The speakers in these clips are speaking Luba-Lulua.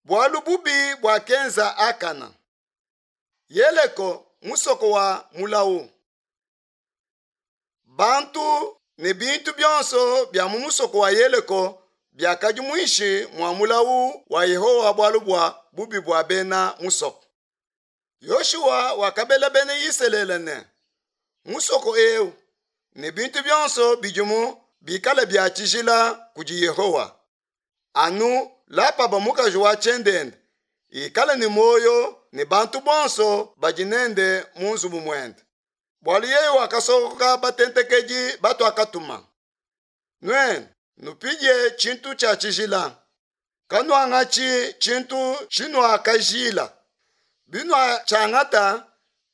Bualu bubi buakenza Akana. Yeleko, musoko wa mulawu. Bantu ne bintu bionso bia mu musoko wa Yeleko biakadi muinshi mua mulawu wa Yehowa bualu bua bubi bua bena musoko. Yoshua wakabela bena Isalele ne, musoko eu ne bintu bionso bidimu bikale bia tshijila kudi Yehowa. Anu Lapaba mukaji wa tshiendenda ikale ne muoyo ne bantu bonso badi nende mu nzubu muende, bualu yeye wakasokoka batentekedi batuakatuma. Nuenu nupidie tshintu tshia tshijila, kanuangatshi tshintu tshinuakajila. Binuatshiangata,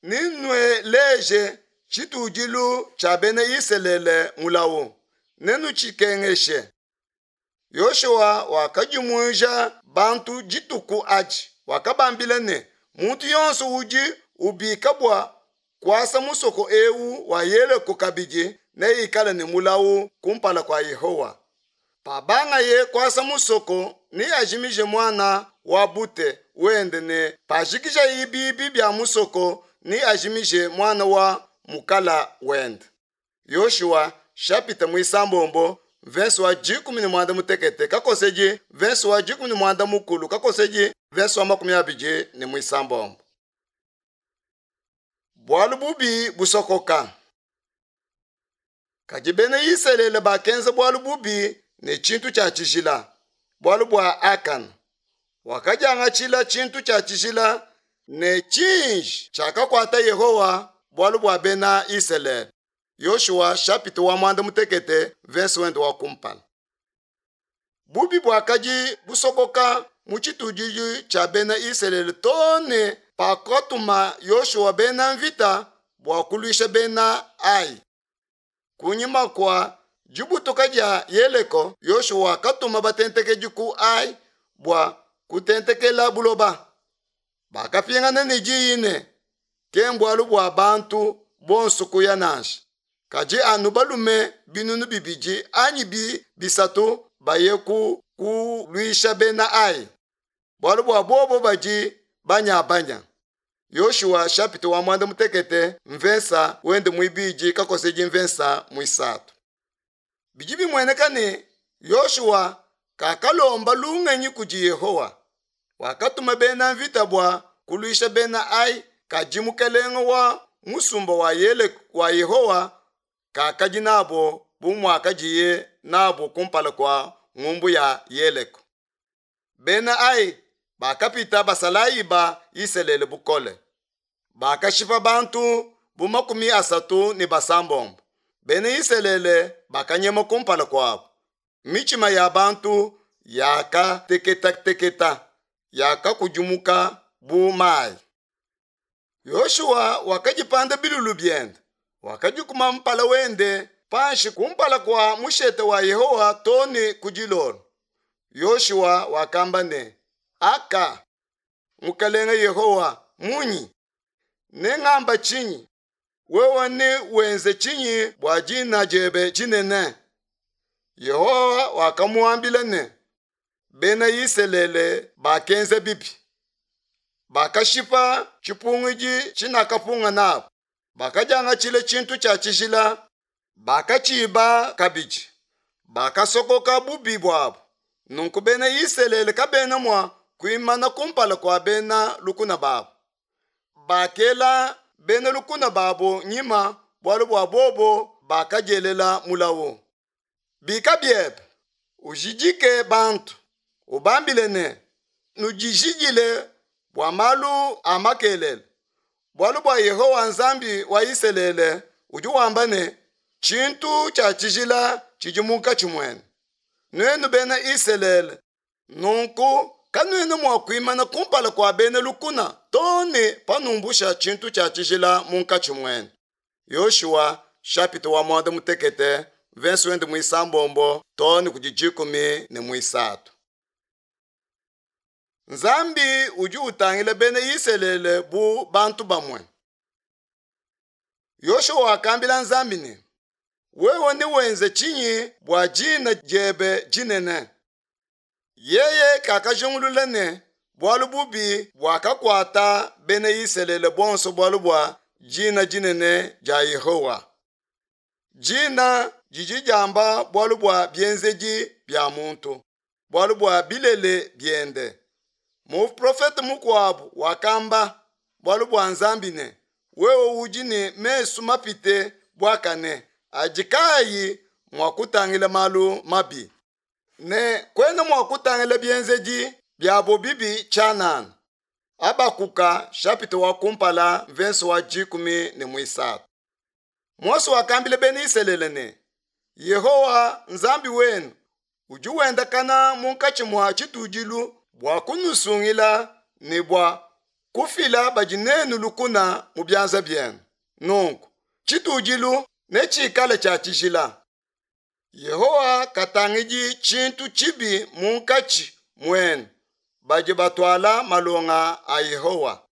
nenueleje tshitudilu tshia bena Isalele mulawu, nenutshikengeshe. Yoshua wakadimuija bantu dituku adi, wakabambila ne, muntu yonso udi ubika bua kuasa musoko eu wa Yeleko kabidi neikale ne mulawu kumpala kua Yehowa. Pabangaye kuasa musoko, neajimije muana wa bute wende ne pajikijaye biibi bia musoko, neajimije muana wa mukala wende. Yoshua shapita muisambombo mvese wa 18 kakosedi mvese wa 13 kakosedi mvese wa 29. Bualu bubi busokoka. Kadi bena Isalele bakenza bualu bubi ne tshintu tshia tshijila, bualu bua Akana wakadiangatshila tshintu tshia tshijila ne tshiji tshiakakuata Yehowa bualu bua bena Isalele. Yoshua shapita wa 16 mvese wende wa kumpala. Bubi buakadi busokoka mu tshitudilu tshia bena Isalele too ne pakatuma Yoshua bena mvita bua kuluisha bena Ai. Kunyima kua dibutuka dia Yeleko, Yoshua wakatuma batentekedi ku Ai bua kutentekela buloba. Bakapingana ne diyi ne, ke mbualu bua bantu bonso kuya nansha, kadi anu balume 2000 anyi 3000 baye ku kuluisha bena Ai, bualu bua bobo badi banyabanya. Yoshua shapita wa 16 mvesa wende muibidi kakosedi mvesa muisatu. Bidi bimueneka ne Yoshua kakalomba lungenyi kudi Yehowa. Wakatuma bena mvita bua kuluisha bena Ai, kadi mukelenge wa musumba wa Yele wa Yehowa kakadi nabo bu muakadiye nabo kumpala kua ngumbu ya Yeleko. Bena Ai bakapita basalayi ba Isalele bukole. Bakashipa bantu bu 36. Bena Isalele bakanyema kumpala kuabo. Mitshima ya bantu yakateketateketa, yakakudimuka bu mayi. Yoshua wakadipanda bilulu biende, wakadikuma mpala wende panshi kumpala kua mushete wa Yehowa too ne ku dilolo. Yoshua wakamba ne, Aka, Mukelenge Yehowa, munyi? Nengamba tshinyi? Wewe newenze tshinyi bua dina diebe dinene? Yehowa wakamuambila ne, Bena Isalele bakenza bibi. Bakashipa tshipungidi tshinakapunga nabo, bakadiangatshila tshintu tshia tshijila, bakatshiba kabidi, bakasokoka bubi buabo. Nunku bena Isalele kabena mua kuimana kumpala kua bena lukuna babo. Bakela bena lukuna babo nyima bualu bua bobo bakadielela mulawu. Bika biebe, ujidike bantu, ubambile ne, nudijidile bua malu a makelela, bualu bua Yehowa Nzambi wa Isalele udi wamba ne, tshintu tshia tshijila tshidi munkatshi muenu, nuenu bena Isalele. Nunku kanuena mua kuimana kumpala kua bena lukuna too ne panumbusha tshintu tshia tshijila munkatshi muenu. Yoshua shapita wa 16 mvese wende muisambombo too ne kudi 13. Nzambi udi utangila bena Isalele bu bantu bamue. Yoshua wakambila Nzambi ne, wewe newenze tshinyi bua dina diebe dinene? Yeye kakajingulula ne. Bualu bubi buakakuata bena Isalele bonso bualu bua dina dinene dia Yehowa. Dina didi diamba bualu bua bienzedi bia muntu, bualu bua bilele biende. Muprofete mukuabu wakamba bualu bua Nzambi ne, wewe udi ne mesu mapite buakane adi kaayi mua kutangila malu mabi, ne kuena mua kutangila bienzedi biabo bibi tshianana. Habakuka chapitre wa kumpala verse wa 13. Mose wakambila bena Isalele ne, Yehowa Nzambi wenu udi wendakana munkatshi mua tshitudilu bua kunusungila ne bua kufila badi nenu lukuna mu bianza bienu. Nunku tshitudilu netshikale tshia tshijila. Yehowa katangidi tshintu tshibi munkatshi muenu badi batuala malonga a Yehowa.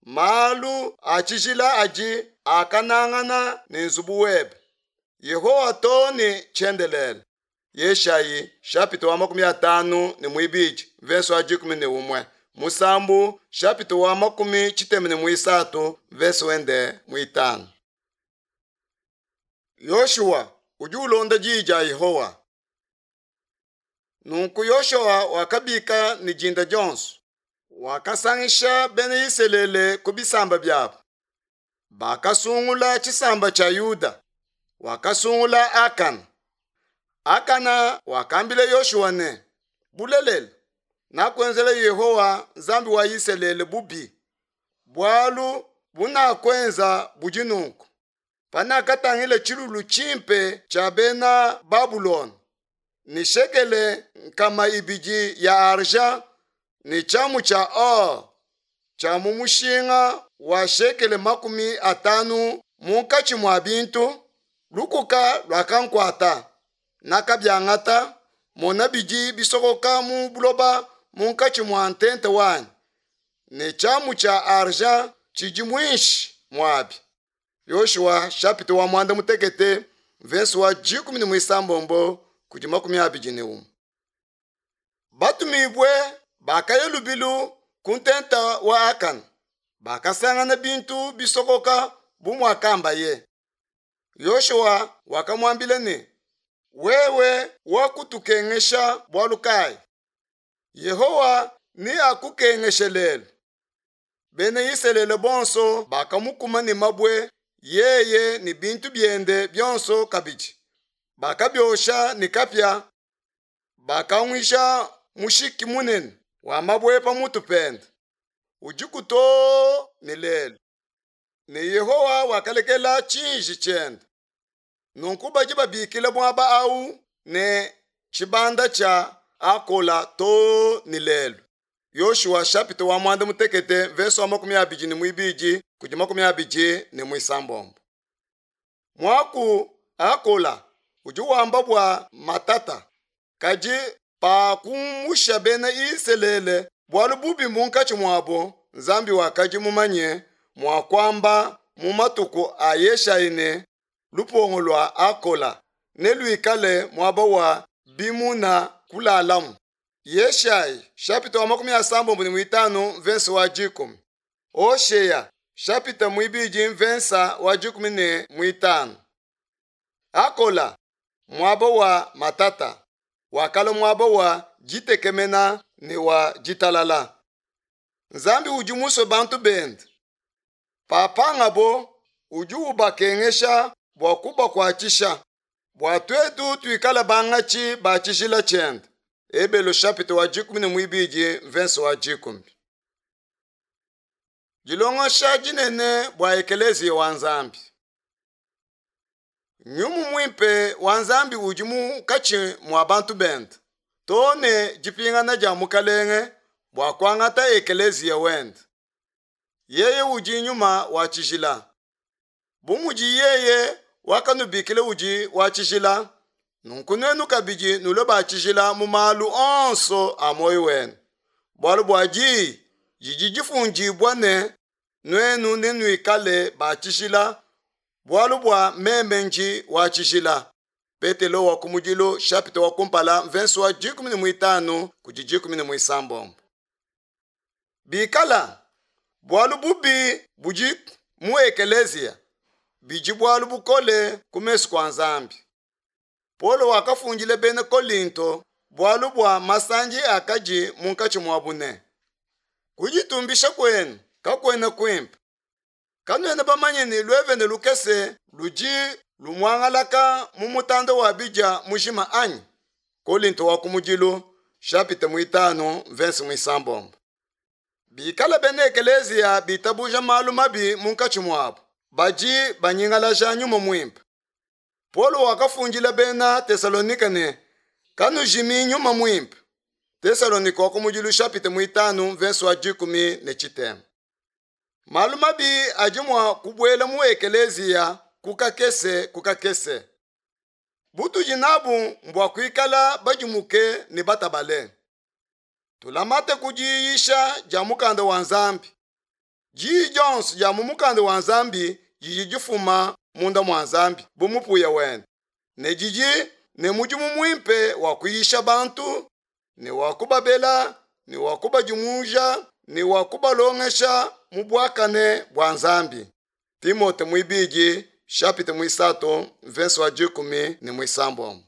Malu a tshijila adi akanangana ne nzubu webe, Yehowa, too ne tshiendelele. Yeshayi chapitre wa 52 verse wa 11, Musambu chapitre wa 63 verse wende muitanu. Yoshua udi ulonda diyi dia Yehowa. Nunku Yoshua wakabika ne dinda dionso, wakasangisha bena Isalele ku bisamba biabo. Bakasungula tshisamba tshia Yuda, wakasungula Akana. Akana wakambila Yoshua ne, Bulelela, nakuenzela Yehowa Nzambi wa Isalele bubi, bualu bunakuenza budi nunku. Panakatangila tshilulu tshimpe tshia bena Babulona, ne shekele 200 ya argent ne tshiamu tshia or tshia mu mushinga wa shekele 50 munkatshi mua bintu, lukuka luakankuata, nakabiangata, mona bidi bisokoka mu buloba munkatshi mua ntenta wanyi, ne tshiamu tshia argent tshidi muinshi muabi. Yoshua chapitre wa 16 verse wa 16 kudi 21. Batumibue bakaya lubilu ku ntenta wa Akana, bakasangana bintu bisokoka bu muakambaye. Yoshua wakamuambila ne, wewe wakutukengesha bualu kayi? Yehowa neakukengeshe lelu. Bena Isalele bonso bakamukuma ne mabue, yeye ne bintu biende bionso kabidi. Bakabiosha ne kapia, bakanguisha mushiki munene wa mabue pa mutu pende, udiku too ne lelu. Ne Yehowa wakalekela tshiji tshiende. Nunku badi babikila muaba au ne tshibanda tshia Akola too ne lelu. Yoshua chapitre wa 16 verse wa 22 kudi 26. Muaku Akola udi wamba bua matata, kadi pa kumusha bena Isalele bualu bubi munkatshi muabo, Nzambi wakadi mumanye mua kuamba mu matuku a Yeshayi ne lupongo lua Akola neluikale muaba wa bimuna kulalamu. Yeshayi chapitre wa 65 verse wa 10. Hoshea chapitre 2 verse wa 15. Akola muaba wa matata wakala muaba wa ditekemena ne wa ditalala. Nzambi udi musue bantu bende. Papangabo udi ubakengesha bua kubakuatshisha, bua tuetu tuikale bangatshi ba tshijila tshiende. Ebelo chapitre wa 12 verse wa 10. Dilongesha dinene bua ekeleziya wa Nzambi. Nyumu muimpe wa Nzambi udi munkatshi mua bantu bende, too ne dipingana dia Mukalenge bua kuangata ekeleziya wende. Yeye udi nyuma wa tshijila. Bu mudi yeye wakanubikila udi wa tshijila, nunku nuenu kabidi nulue ba tshijila mu malu onso a muoyo wenu. Bualu bua diyi didi difundibua ne, nuenu nenuikale ba tshijila, bualu bua meme ndi wa tshijila. Petelo wa kumudilu chapitre wa kumpala verse wa 15 kudi 16. Bikala bualu bubi budi mu ekeleziya, bidi bualu bukole ku mesu kua Nzambi. Paulo wakafundila bena Kolinto bualu bua masandi akadi munkatshi muabu ne, Kuditumbisha kuenu kakuena kuimpe. Kanuena bamanye ne luevene lukese ludi lumuangalaka mu mutanda wa bidia mujima anyi? Kolinto wa kumudilu chapitre muitanu verse muisambombo. Bikala bena ekeleziya bitabuja malu mabi munkatshi muabu, badi banyingalaja nyuma muimpe. Paulo wakafundila bena Tesalonike ne, kanujimi nyuma muimpe. Tesalonike wa kumudilu chapitre muitanu verse wa 13. Malu mabi adi mua kubuela mu ekeleziya ku kakese ku kakese. Butudi nabu mbua kuikala badimuke ne batabale. Tulamate ku diyisha dia mukanda wa Nzambi. Diyi dionso dia mu mukanda wa Nzambi didi difuma munda mua Nzambi bu mupuya wende, ne didi ne mudimu muimpe wa kuyisha bantu, ne wa kubabela, ne wa kubadimuja, ne wa kubalongesha mu buakane bua Nzambi. Timote muibidi chapitre muisatu verse wa 16.